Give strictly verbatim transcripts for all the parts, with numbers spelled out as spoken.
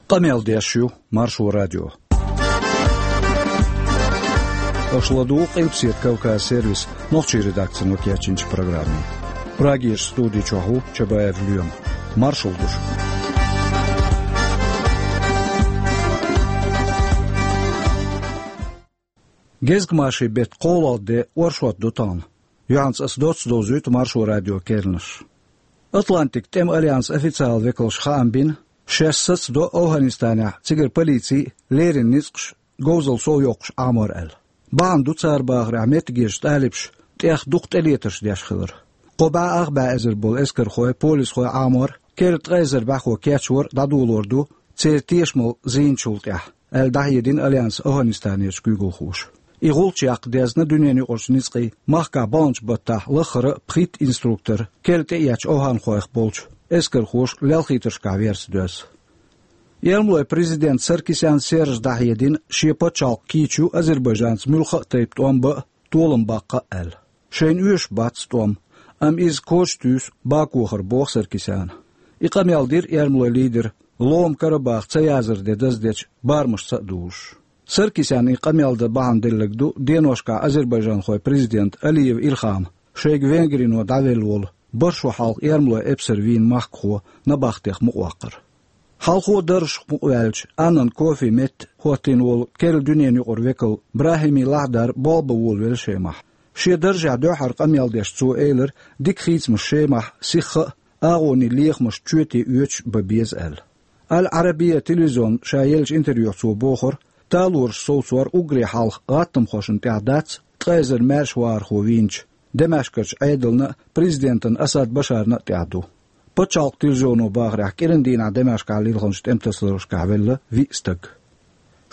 Къамел деш ю Маршо радио. Аша ладугӀу Къилбаседа Кавказ сервисан нохчийн редакцино кечйинчу программе. Прагерчу студи чохь ву Чабаев Лоьма. Маршалла ду шуьга. Гезгмашин беттан кхоалгӀа де, оршот ду тахана. Юьхьанца ас доцца довзуьйту Маршо радион керланаш. Атлантикан тӀеман альянсан официалан векалша хаам бина, шаьш сацадо ОвхӀанистанехь, цигара полици а, леррина ницкъаш а говзалла совйоккхуш Ӏамор аьлла. Бахьана ду цара бахарехь меттигерчу талибаша тӀех дукха тӀелетарш деш хилар. Кхо бӀе ах бӀе эзар болу эскархой, полисхой Ӏамор керла ткъа эзар бӀаьхо кечвар дӀадолор ду церан тешамалла зийначул тӀаьхьа, аьлла дӀахьедина альянсан ОвхӀанистанерчу куьйгалхоша. И гӀулч яккха дезна дуьненан юкъарчу ницкъийн, махкахь баханчу баттахь лаххара а пхийтта инструктор, керла тӀеэцначу овхӀанхойх болчу, эскархоша лелхийтаршкахь верца доьзна. Эрмалойн президента Саркисян Сержа дӀахьедина, шен пачхьалкх кийча ю Азербайджанца муьлхха а тайпа тӀом бан а, толам баккха а аьлла. Шайна оьшуш бац тӀом, амма иза коча туьйсу Бакух, боху Саркисяна. И къамел дира эрмалойн лидера Лома Карабах ца язар де даздечу барамашца а дузуш. Саркисяна и къамел дан бахьана делларг ду деношкахь азербайджанхойн президента Алиев Илхьама шайга Венгрино дӀавелла волу бархӀ шо хьалха эрмалойн эпсар вийна махкахо набахтех мукъаваккхар. Хьалхо даржах мукъаваьллачу Аннан Кофин метта хӀоттийна волу керла дуьненан юкъара векал БрахӀими Лахьдар болх бан волавелла Шемахь. Шен даржехь дуьххьара къамел деш цо элира, дика хийцамаш Шемахь сихха а, агӀонийн лехамаш чоьте оьцуш а бан беза аьлла. Аль-Арабия телевизионна ша еллачу интервьюхь цо бохура, талораш совцор уггаре хьалха гӀаттамхошна тӀехь дац, ткъа эзар маьрша вахархо вийначу Дамаскарчу Ӏедална а, президентана Асад Башарна а тӀехь ду. Пачхьалкхан телевизионо бахарехь, кӀиран дийнахь Дамаскехь лилхинчу тӀематасаларшкахь велла виъ стаг.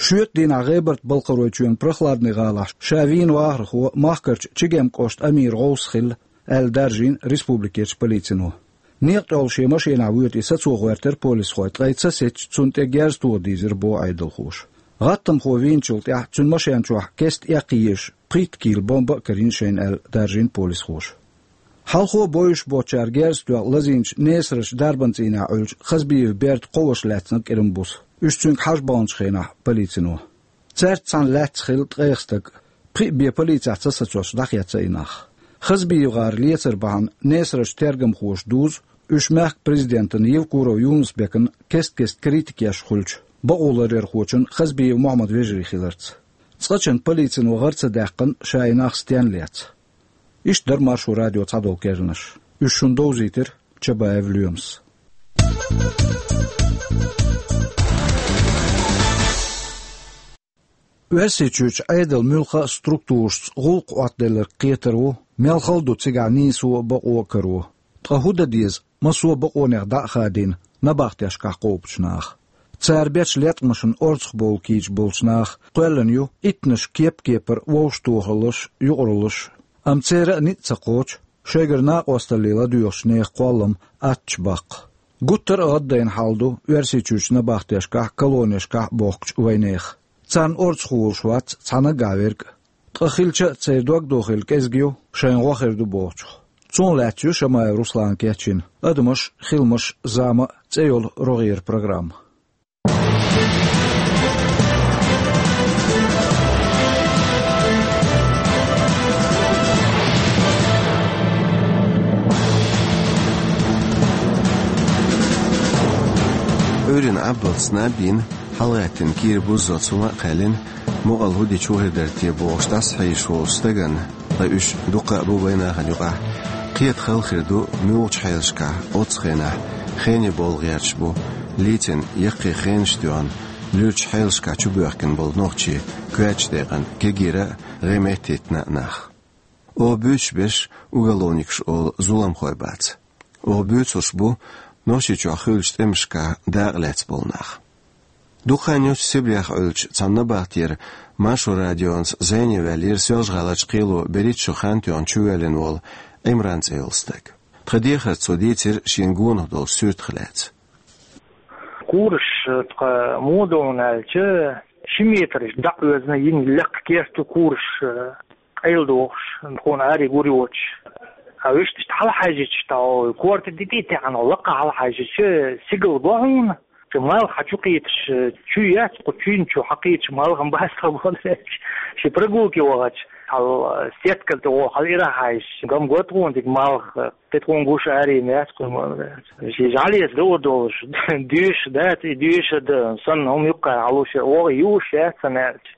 Шоьтан дийнахь ГӀебарта-Балкхаройчоьнан Прохладный гӀалахь ша вийна вахархо махкарчу Чегем кӀоштан амиран гӀовс хилла, аьлла даржийна республикерчу полицино. Некъа тӀехула шен машенахь воьду и, сацо гӀоьртира полисхой, ткъа и ца сецча, цунна тӀе герз тоха дийзира, боху Ӏедалхоша. ГӀаттамхо вийначул тӀаьхьа цуьнан машен чохь кеста эккхийзаш пхийтта кийла бомба а карийна шайна аьлла, даржийна полисхоша. Хьалхо бовзуш боцчара герз тоьхна лазийначу Несарачу дарбан цӀийнехь Ӏуьллучу Хазбиевн берда кхо ваша лаьцна кӀиран буса. Уьш цуьнга хьажа баханчу хенахь полицино. Цаьрца цхьаьна лаьцна хилла ткъех стаг, пхиъ бен полицехь ца сацош дӀахецна и нах. ХазбиевгӀар лецар бахьана Несарачу тергамхоша дузу уьш мехкан президентана Евкуров Юнус-Бекана кест-кеста критика еш хуьлучу бакъоларъярхочун Хазбиев Мохьмадан вежарий хиларца. Цкъачунна полицино гӀар ца даьккхина, ша и нах стенна лецна. Иштта дара Маршо радион цхьадолу керланаш. Уьш шуна довзийтира Чабаев Лоьмас. Оьрсийчуьрчу Ӏедалан муьлхха а структурашца гӀуллакх Ӏоттаделларг кхетар ву, мел хала ду цигахь нийсо а, бакъо а каро. Ткъа хӀун дан деза, массо а бакъонех дӀа а хадийна, набахтешкахь кхобучу наха? Цара бечу леткъамашна орцахбовла кийча болчу наха кхоьллина ю иттанаш кеп-кепара вовшахтохаллаш а, юкъараллаш а. Амма церан а ницкъ ца кхочу шайгара накъосталле ладоьгӀучу нехан кхоллам аттачу баккха. Гуттар а гӀаддайна хьал ду Оьрсийчуьрчу набахтешкахь а, колонешкахь а бохкучу вайнехан. Царна орцахволуш вац цхьа наггахь верг а. Ткъа хилча а, церан дог дохийла кӀезиг ю, шайна гӀо хир ду бохучух. Цунах лаьцна ю Шамаев Руслана кечйина «Адамаш а, хиламаш а, зама а» цӀе йолу рогӀера программа. Ӏуьйранна Ӏаббалц наб йина, хьалагӀаьттина кийра буззалц хӀума а кхаьллина, мукъалла хӀун дича хир дара те бохуш дӀасахьийзаш волчу стагана, ткъа уьш дуккха а бу вайнахана юкъахь, кхета хала хир ду муьлхачу хьелашкахь оццу хенахь хене бовла гӀерташ бу, лийцина яккхий хенаш а тоьхна, луьрачу хьелашкахь чубоьхкина болу нохчий коьртачу декъана кегийра а, гӀеметтийтина а нах. Оха буьйцуш берш уголовникаш олу зуламхой бац. Оха буьйцурш бу Нохчийчохь хуьлучу тӀемашкахь дакъа лаьцна болу нах. Дукха хан йоццуш Сибрех Ӏуьллучу цхьана набахтера Маршо радионца зӀене ваьллера Соьлжа-ГӀаларчу кхело берхӀитта шо хан тоьхна чувоьллина волу Ӏимран цӀе йолу стаг. Тхан дехарца цо дийцира шена гонах долчу суьртах лаьцна. Кураш, э, тхан муха ду аьлча, ши метраш дӀа а оьзна йина лекха керта ю кураш, э, къайладохуш, тхуна аре гур йоцуш. А вуьшта иштта хьалахьаьжча, тхьо корта тӀе а таьӀна, лакха хьалахьаьжча, сигала го хьуна. Ши малх хьа чу кхийдаш, чу яц, кху чуйна чу хьакхийдаш малхам бац тхо боху аьлча. Ши прогулке вахача, хьал сетка тӀе вогӀу, хьал ирахь хьаьжча, гам го тхуна дика малх, кхин тхуна гуш арийна яц кху малх. Ши жӀалеца дуур долуш, дуьйш дац, и дуьйш а дан, санна хӀума юккъара хьалуш, вогӀу юуш яц сан аьлча.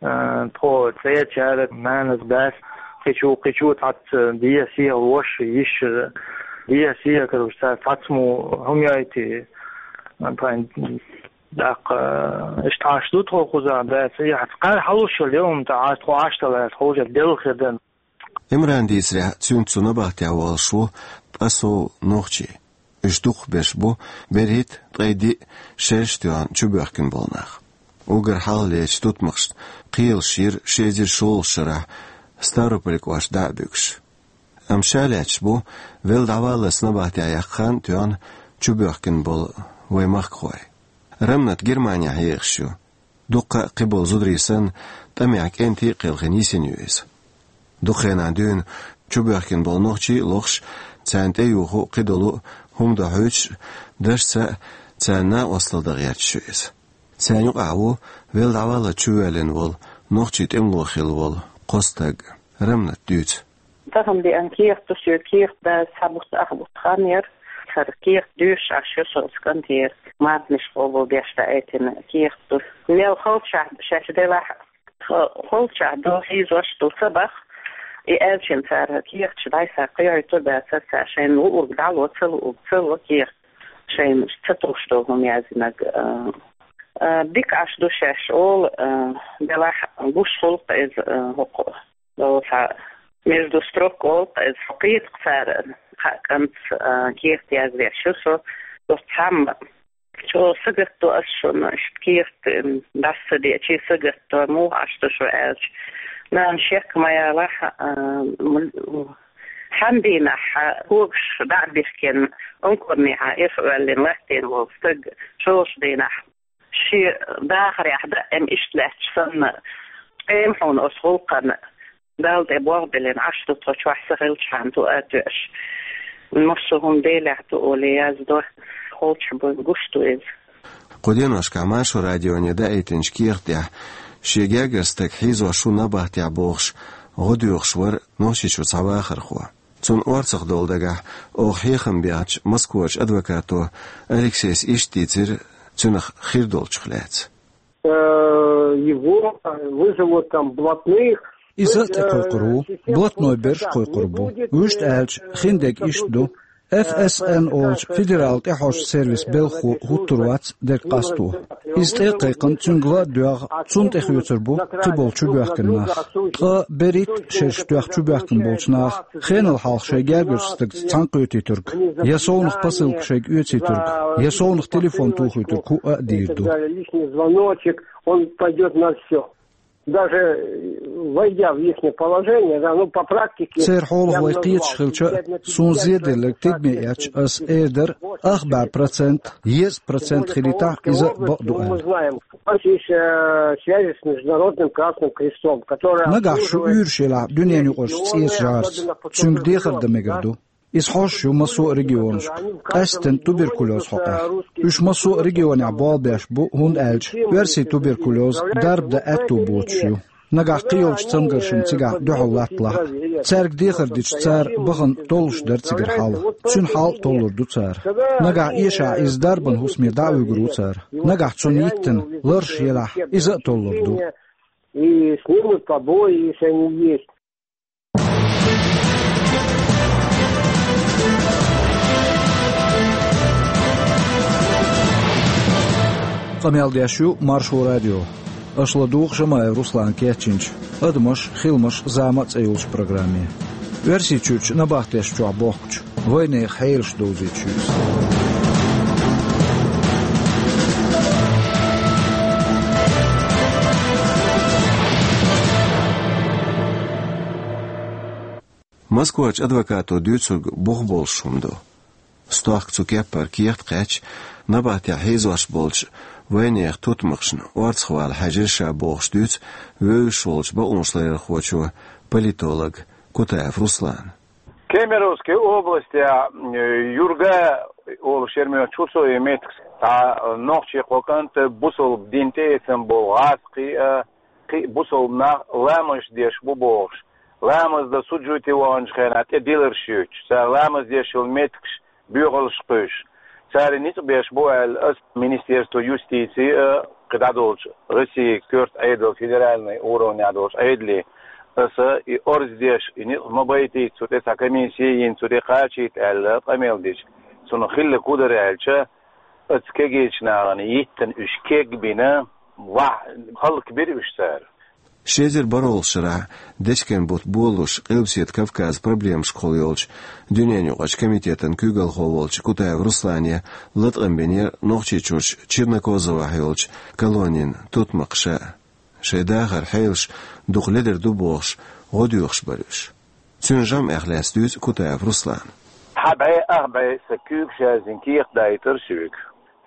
А, тхо цӀерачара нанас, дас, кхечу, кхечу цхьацца дехьа-сехьа ваша, йиша, дехьа-сехьа, короче, цара цхьацца мо хӀума йойтий, а, пайн, даккха, иштта Ӏаш ду тхо кхузахь, дас, и хьаца кхара хьалуш йолу хӀума тӀе Ӏаш, тхо Ӏаш далахь, тхо уже делла хир дан. Имран дийцарехь, цуьнца цу набахтехь волуш ву ткъа сов нохчий. Уьш дукхахберш бу берхӀитта, ткъе диъ, шераш тоьхна чубоьхкина болу нах. Уггар хьалхалерчу тутмакхашна кхелаш йира ши эзар шолгӀачу шарахь Ставрополь кӀоштан дӀа а буьгуш. Амма ша лаьтташ бу велла дӀаваллалц набахтехь яккха хан а тоьхна чубоьхкина болу вайн махкахой. Рамнат Германехь ехаш ю. Дуккха а кхиболу зударий санна, тӀамехь кӀентий а кхелхина йисина ю иза. Дукха хенахь дуьйна чубоьхкина болу нохчий а лохуш, царна тӀеюху а, кхидолу а хӀума дохьуьйтуш а, дашца а, царна накъосталла дан гӀерташ ю иза. Царна юкъахь ву велла дӀаваллалц чувоьллина волу нохчийн тӀемало хилла волу кхо стаг. Рамнат дуьйцу. Тахана деана кехат ду соьга, кехат даза цхьа бутт, ах бутт хан яра. ХӀара кехат доьшуш Ӏаш ю со оцу кӀантера. Мардниш къобал беш даийтина кехат ду. Мел халчахь шаьш делахь а, халчахь ду, хьийзош ду ца баха. И аьлча цара кехаташ дӀасса кхайойтур дацара цара, шайна луург дӀало, ца луург ца ло кехат. Шайна ца тухуш долу хӀума яздинарг, а, а, дика Ӏаш ду шаьш олу, а, делахь гуш хуьлу-кх иза, а, хӀокху. Цхьа между строк олу-кх иза, кхетакх цара, кхаа кӀант, а, кехат яздеш ю со, оцу цхьамма. Чо сагатдо ас шуна, иштта кехат, м, дӀаса ца деачий сагатдо, муха Ӏаш ду шу аьлча. Нана шек ма ялахь, а, м, цхьана дийнахь когаш дӀа а бихкина, ункурнехьа ирх оьллина латтийна волу стаг шолгӀачу дийнахь. Шен дахарехь даим иштта лаьтташ санна, ткъе ма хьуна оцу гӀуллакхана Далла тӀе болх биллина Ӏаш ду тхо, чохь са хилчхьана ту а тоьаш. Массо а хӀума Делехь ду олий яздо, холчахь буйна гуш ду иза. Кху деношкахь Маршо радионе даийтинчу кехат тӀехь шен гергара стаг хьийзош ву набахтехь бохуш, гӀо доьхуш вара Нохчийчуьра цхьа вахархо. Цунна орцах долу дагахь оха хьехам бехначу Москварчу адвокато Алексейс иштта дийцира цуьнах хир долчух лаьцна. Э, его, э, вызовут там блатных. Иза а тӀекхойкхур ву, блатной берш а кхойкхур бу. Вуьшта аьлча, хиндерг иштта ду. Ф С Н олучу федералан тӀехьожу сервисан белхахо хӀуттур вац дерг къасто. Иза тӀе а кхайкхина, цуьнга ла а доьгӀна, цунна тӀе хоьцур бу кхиболу чубоьхкина нах. Ткъа берхӀитта шераш тоьхна чубоьхкина болчу наха хенал хьалха шайн гергарчу стагца цхьаьнакхетийтург, я совнаха посылка шайга оьцийтург, я совнаха телефон тухуьйтург хӀуъа а дийр ду. Личный звоночек, он пойдёт на всё. Даже, э, войдя в ихнее положение, да, ну, по практике. Церан хьолах вай кхеташ хилча а, суна зеделларг тидаме эцча, ас эр дара, ах бӀе процент, еза процент хилийтахь, иза а бакъ ду аьлла. У нас есть, э, связи с Международным Красным Крестом, которые... Нагахь шу уьйраш елахь дуьненаюкъарчу ЦӀечу ЖӀарца, цуьнга дехар дан мегар ду. Иза хьожуш ю массо а регионашка, къаьсттина туберкулез хьокъехь. Уьш массо а регионехь болх беш бу, хӀунда аьлча оьрсийн туберкулез дарба дан аьтто боцуш ю. Нагахь кхийолчу цамгаршна цигахь дуьхьал латталахь а, цаьрга дехар дича, цара бахана толлуш дара цигара хьал. Цуьнан хьал а толлур ду цара. Нагахь эшахь иза дарбан хӀусаме дӀа а вуьгур ву цара. Нагахь цунна йиттина ларш елахь, иза а толлур ду. И снимут побои, если они есть. Къамел деш ю Маршо радио. Аша ладугӀу Шамаев Руслана кечйинчу «Адамаш, хиламаш, зама» цӀе йолчу программе. Оьрсийчуьрчу набахтешна чохь бохкучу вайнехан хьелаш довзуьйтуш ю иза. Москварчу адвокато дуьйцург бух болуш хӀума ду. Стохка цу кеппара кехат кхаьчча, набахтехь хьийзош болчу вайнехан тутмакхашна орцахвала хьаьжира ша бохуш дуьйцу вевзаш волчу бакъонашларъярхочо, политолог Кутаев Руслана. Кемеровская область, а, Юрга Олуш яр моьттуш ву со и меттигаш, цхьа нохчийн кхо кӀант бусалба дин тӀеэцна болу гӀазкхий а, кхин а бусалба нах ламазаш деш бу бохуш, ламаз дан суд-жуьйти ваханчу хенахь тӀе диларш юьттуш, цара ламаз деш йолу меттигаш боьхаллаш кхуьйсуш. Цара ницкъ беш бу аьлла, аса Министерство юстиции а, кхин дӀадолчу Россин коьрта Ӏедал, федеральный уровнехь долчу Ӏедале, аса и орца деш, и ницкъ ма байтийта, цу тӀе цхьа комиссия йина, цу тӀе кхачийта аьлла, къамел дича, цунах хилларг хӀун дара аьлча, оцу кегийчу нахана йиттина уьш кег а бина, ваьхьа хӀаллакбира уьш цара. Ши эзар бархӀалгӀачу шарахь дечкен бутт болалуш, Къилбаседа Кавказан проблемашкахула йолчу дуьненаюкъарчу комитетан куьйгалхо волчу Кутаев Руслане латкъам бинера Нохчийчуьрчу Чернокозовехь йолчу колонин тутмакхаша. Шайн дахаран хьелаш дукха ледара ду бохуш, гӀо доьхуш бара уьш. Цуьнан жамӀех лаьцна дуьйцу Кутаев Руслана. Хьан бӀе, ах бӀе сан куьйгаш яздина кехат дайтира соьга.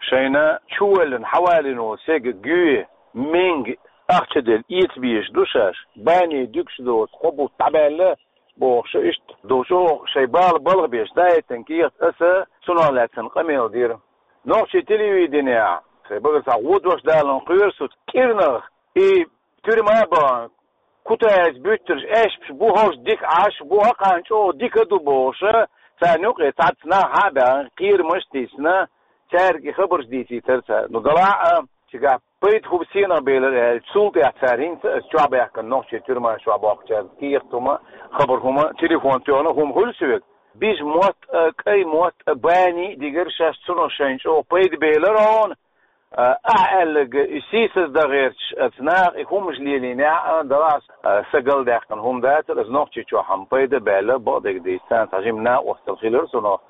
Шайна чувоьллина хьавалийна волу стеган гӀоьнна, минга, ахча делла эца безаш ду шаьш, бани дуьгуш доцу кхо бутт дӀабаьлла, бохуш, иштта ду чӀогӀа шайн бала балха беш дайтина кехат, аса цунах лаьцна къамел дира. Нохчийн телевиденехь, сайн багара схьа гӀо дош далун кхоьру со кӀирнах, и тюрьма а бахана, Кутаевс буьттурш аьшпаш бу, хӀорш дика Ӏаш бу, хӀокхарна чӀогӀа дика а ду бохуш, царна юкъе цхьацца нах хьа а баьхна, кхерамаш а тийсина, цаьрга и хабарш дийцийтара цара. Ну, делахь а, цигахь пайда хӀума сенах белира аьлча, цул тӀаьхьа цара хӀинца а чохь баьхкина нохчий тюрьма чохь боккхучаьрга кехат хӀума, хабар хӀума, телефон тоьхна хӀума хуьлу соьга. Бижа мотт а, кӀай мотт а, бани а дигира шаьш, цунах шайна чӀогӀа пайда белира хьуна. А, ахь аьлларг и сийсаз дан гӀерташ оцу наха и хӀуманаш лелийнехь а, делахь а, сан галдаьккхина хӀума дацара, аса Нохчийчохь хьан пайда а баьлла, бакъдерг дийцича, царна цхьа жима накъосталла хилира цунах.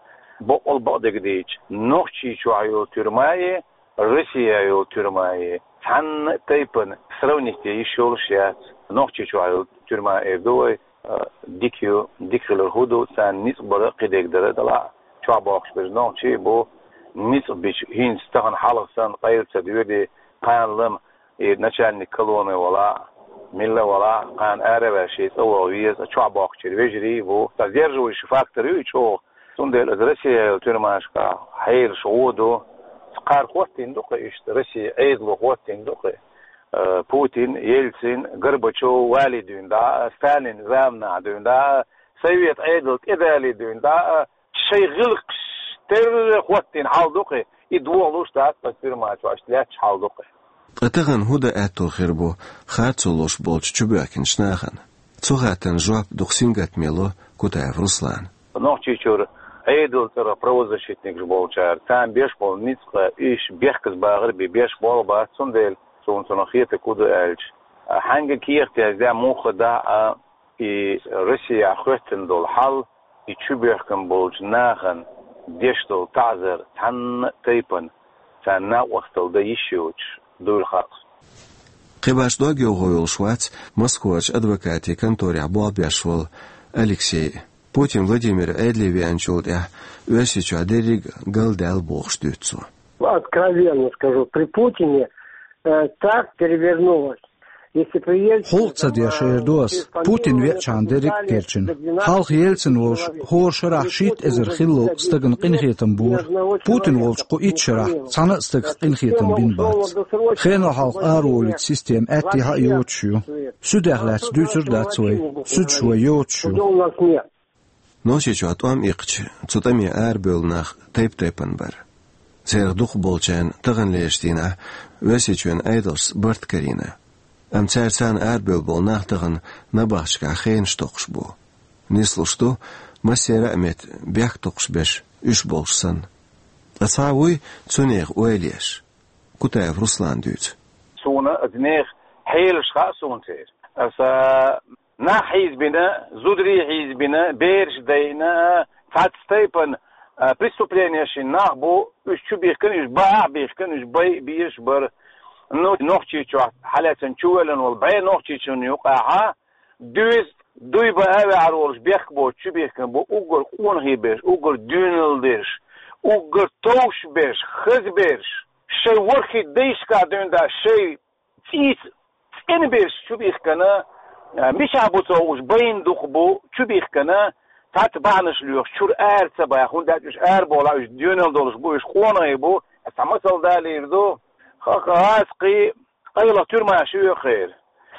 Баккъал бакъдерг дийцича, Нохчийчохь йолу тюрьмаи, Россехь йолу тюрьмаи цхьанна а тайпана сравнить де йиш йолуш яц. Нохчийчохь йолу тюрьма эр ду вай, а, дика ю, дика хилар хӀун ду, царна ницкъ бара, кхидерг дара, делахь а, чохь боккхуш берш нохчий а бу, ницкъ бича, хӀинца тахана хьалха санна къайла ца доьду, кхана лама, и начальник колонны валахь а, милла валахь а, кхана ара а ваьлла шен цӀа ваха веза, чохь боккхучеран вежарий а бу. Цхьа сдерживающий фактор ю и чӀогӀа. Цундела аса Россехь йолу тюрьмашкахь хьелаш гӀо ду. Кхара хӀоттийна ду-кх иштта, Россин Ӏедало хӀоттийна ду-кх. Э, Путин, Ельцин, Горбачев вале дуьйна дӀа а, Сталин заманахь дуьйна дӀа а, Совет Ӏедал тӀедале дуьйна дӀа а, шайн гӀиллакхаш терра хӀоттийна хьал ду-кх, и дохалуш дац ткъа тюрьма чохь иштта лаьтташ хьал ду-кх. Ткъа тахана хӀун дан аьтто хир бу харцо луш болчу чубоьхкинчу нахана? Цу хаттарна жоп дукха сингаттаме ло Кутаев Руслана. Нохчийчуьра Ӏедалан цӀарах правозащитникаш болчара, царна беш болу ницкъ, уьш бехказбахар бен беш болх бац, цундела суна цунах хетарг хӀун ду аьлча, хьаьнга кехат яздехь муха дахь а, и Россехь хӀоьттина долу хьал, и чубоьхкина болчу нахана деш долу таӀзар цхьанна а тайпана царна накъосталла дан йиш йоцуш дуйла хаьа суна. Кхин башха дог йовхо йолуш вац Москварчу адвокатийн конторехь болх беш волу Алексей. Путин Владимир Ӏедале веанчул тӀаьхьа Оьрсийчохь дерриг а галдаьлла бохуш дуьйцу цо. Откровенно скажу, при Путине, э, так перевернулось. Если при Ельцине... ХӀуллакх ца деш эр ду ас, Путин веачхьана дерриг а кечйина. Хьалха Ельцин волуш хӀора шарахь шийтта эзар хиллал стагана къинхетам бора. Путин волчу кху итт шарахь цхьана а стагах къинхетам бина бац. Хенал хьалха араволуьйту система аьттехьа а йоцуш ю. Суьдех лаьцна дуьйцур дац вай. Суьдаш вай йоцуш ю. Нохчийчохь тӀом иккхича, цу тӀаме арабевлла нах тайп-тайпана бара. Церан дукхахболчарна таханлерчу дийнахь Оьрсийчоьнан Ӏедалшца барт карийна. Амма цара царна арабевлла болу нах тахана набахташкахь хенаш токхуш бу. Нислуш ду, массеран а метта бехк токхуш берш уьш болуш санна. Ткъа цхьа вуй цунах ойла еш? Кутаев Руслана дуьйцу. Суна аса нехан хьелаш хаьа суна церан. Аса нах хьийзабина, зударий хьийзабина, бераш дайна, цхьацца тайпана, а, преступление шина нах бу, уьш чубихкина, уьш бан а бихкина, уьш бай а безаш бара. Ну, Нохчийчохь хьалаьцна чувоьллина волу бӀе нохчичунна юкъахь а, дуьйза дуй бан а ваьхьар волуш бехк боцуш чубихкина бу уггар къонахий берш, уггар доьналла дерш, уггар товш берш, хаза берш. Шайн ворхӀе дайшкахь дуьйна дӀа, шайн цӀийца цӀена берш чубихкина, а, мичахь бу ца хууш, байна дукха бу чубихкина, цхьацца бахьанаш лоьхуш, чура ара ца баха, хӀунда аьлча уьш арабовлахь, уьш доьналла долуш бу, уьш къонахий бу, цхьа масал далийр ду, ха-, ха-, гӀазкхий къайлаха туьрмаш ю хир.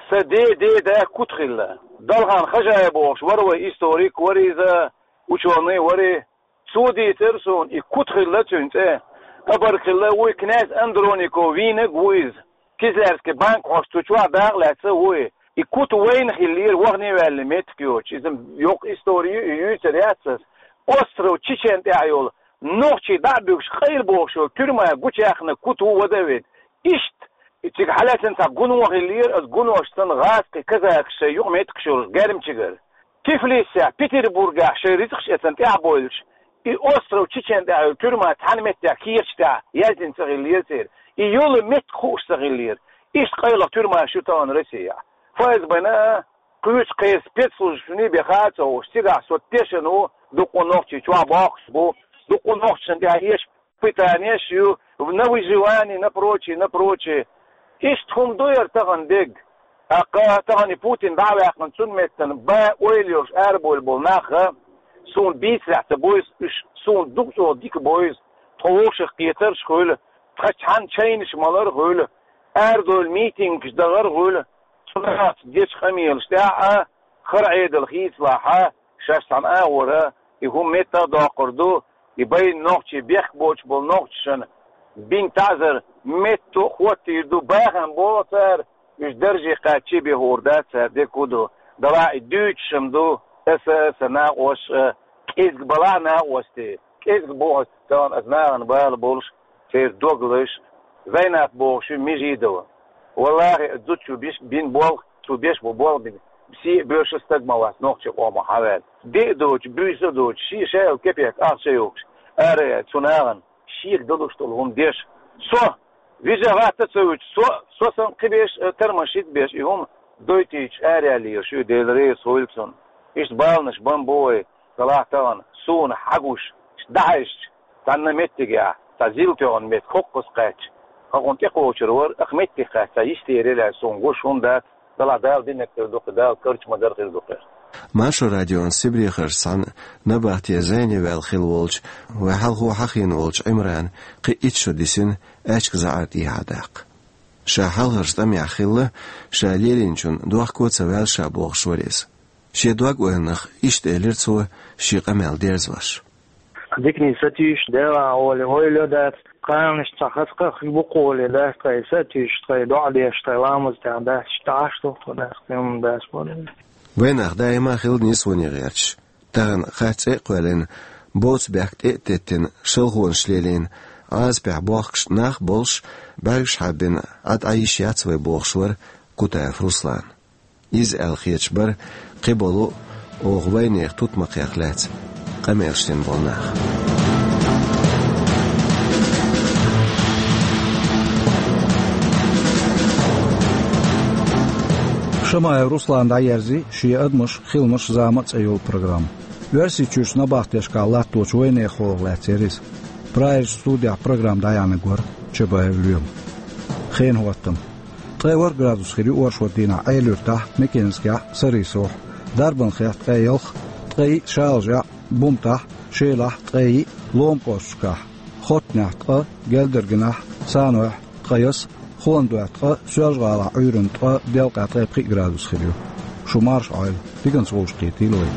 Сан ден ден да Кута хилла. Далхан Хажаев бохуш вара вай, историк вара иза, учёный вара. Цо дийцира суна, и Кута хилла цуьнан цӀе. Абарг хилла вуй, князь Андроников вийнарг ву иза. Кизлярский банк хьош цу чохь дакъа лаьцна вуй. И Кута вайна хиллера, вахана а ваьлла меттиг йоцуш. Иза йоккха истори ю, и юьйцур яц ас. Остров Чечен тӀехь йолу нохчий дӀа а буьгуш, къайла бохуш йолу туьрма гучуяьккхина Кута ву вада а ведда. Иштта, и цига хьалаьцна цхьа гуно хиллера, аса гунош санна гӀазкхий казакаш шайн юкъаметтигаш йолуш Гермчигара. Тифлисехь, Петербургехь шайн рицкъаш эцна тӀаьхьабойлуш, и остров Чечен тӀехь йолу туьрма цхьана меттехь кехаташ тӀехь яздина ца хиллера церан. И йолу меттиг хууш ца хиллера. Иштта къайлаха туьрмаш ю тахана Россехь. ФСБ-на а, кхечу кхечу спецслужбашна а бен хаа ца хууш, цигахь со тешна ву, дуккха нохчий чохь боккхуш бу, дуккха нохчашна тӀехь еш пытанеш ю, на выживание, на прочее, на прочее. Иштта хӀума ду яра тахана дерг. ТӀаккха тахана и Путин дӀа а ваьккхина, цунна меттана бан ойла йолуш арабевлла болу нах а, суна бийцарехь ца бо иза, уьш суна дукха чӀогӀа дика бо иза, тхо вовшах кхетарш а хуьлу, тхан цхьана чайнаш малар а хуьлу, арадевлла митингаш дахар а хуьлу, цу нахаца дечу къамелаш тӀехь а, хӀара Ӏедал хийцалахь а, шаьш цхьана агӀора и хӀума меттах а доккхур ду, и байна нохчий, бехк боцуш болу нохчашна бина таӀзар метта а хӀоттийр ду, бахам боху цара, уьш дарже кхаьчча а бехур дац цара, дерг хӀун ду, делахь и дуьйцуш-м ду, аса а, сан накъосташ а, кӀезиг балахь накъостий, кӀезиг бу хьо, тахана аса нахана бала болуш, церан догалаш, Зайнап бохуш ю Межидова. Валлахи, зудчо биш-, бина болх, цо беш бу болх бина, сий а, боьрша а стаг ма вац нохчийн къомах хьаваьлла. Де а доцуш, буьйса а доцуш, шен шаьлла кепек ахча а йохуш, ара а яьлла, цу нахана шега далуш долу хӀума деш. Со вижа гӀатта а ца вуьтуш, со, со санна кхин берш а, тармашшийтта берш и хӀума дойтуьйтуш араяьлла ю, Делан реза хуьлда цунна. Иштта баланаш бан бу вай, делахь тахана суна хьагуш, иштта дӀахьаьжча, цхьанна меттигехь, цхьа зил тоьхна меттиг хӀокхуза кхаьчча, хӀокхунна тӀекхочур вара, ахь меттиг кхаьчча, цхьа йистера елахь суна гуш хӀума дац, делахь Дала динарг хир ду-кх, Дала карча ма дара хир ду-кх. Маршо радион Сибрехарчу цхьана набахте зене ваьлла хилла волчу, вайн хьалхо хьахийна волчу Ӏимрана кхин итт шо дисина аьчка заӀар тӀехьа даккха. Ша хьалхарчу тӀамехь хилла, ша лелийначунна дохко а ца ваьлла ша бохуш вара иза. Шен дог-ойланах иштта элира цо, шен къамел дерзош. Диканийн сатуьйсуш, Делан гӀоле ойла йо дац, кханаш цхьа хаза кхахь бу кхоле дац, тхай сатуьйсуш, тхай доӀа деш, тхай ламаз тӀехь дац, иштта Ӏаш ду тхо дац, кхин хӀума дац боху. Вайн нах даима хилла нийсоне гӀерташ. Тахана хатта цӀе а кхоьллина, боцу бехк тӀе а теттина, шалхонаш лелийна, Ӏазапехь бохкуш нах а болуш, бӀаьргаш хьаббина, Ӏад Ӏан йиш яц вай бохуш вара Кутаев Руслан. Иза аьлла хеташ бара кхин болу а, оха вайнехан тутмакхех лаьцна къамелаш дина болу нах. Шамаев Руслана дӀаерзи «Шен адамаш, хиламаш, зама» цӀе йолу программа. Оьрсийчуьрчу набахтешкахь латточу вайнехан хьолах лаьцна яра иза. Прагерчу студехь программа дӀаяьхьнарг вара Чабаев Лоьма. Хенан хӀоттам. Ткъе ворхӀ градус хир ю оршот дийнахь Ӏелуьртахь, Мекенскехь, Сарисохь, Дарбанхехь ткъе ялх, ткъе йиъ Шалажехь, Бумтахь, Шелахь ткъе йиъ, Лома кӀошташкахь, Хоттанехь ткъа, Гелдаргинахь, Санойхь ткъе ялх, Хуландойхь ткъа, Соьлжа-ГӀалахь Ӏуьйранна ткъа, Делкъехь ткъе пхиъ градус хир ю. Шу марша Ӏойла, диканца вовшахкхетийла вай.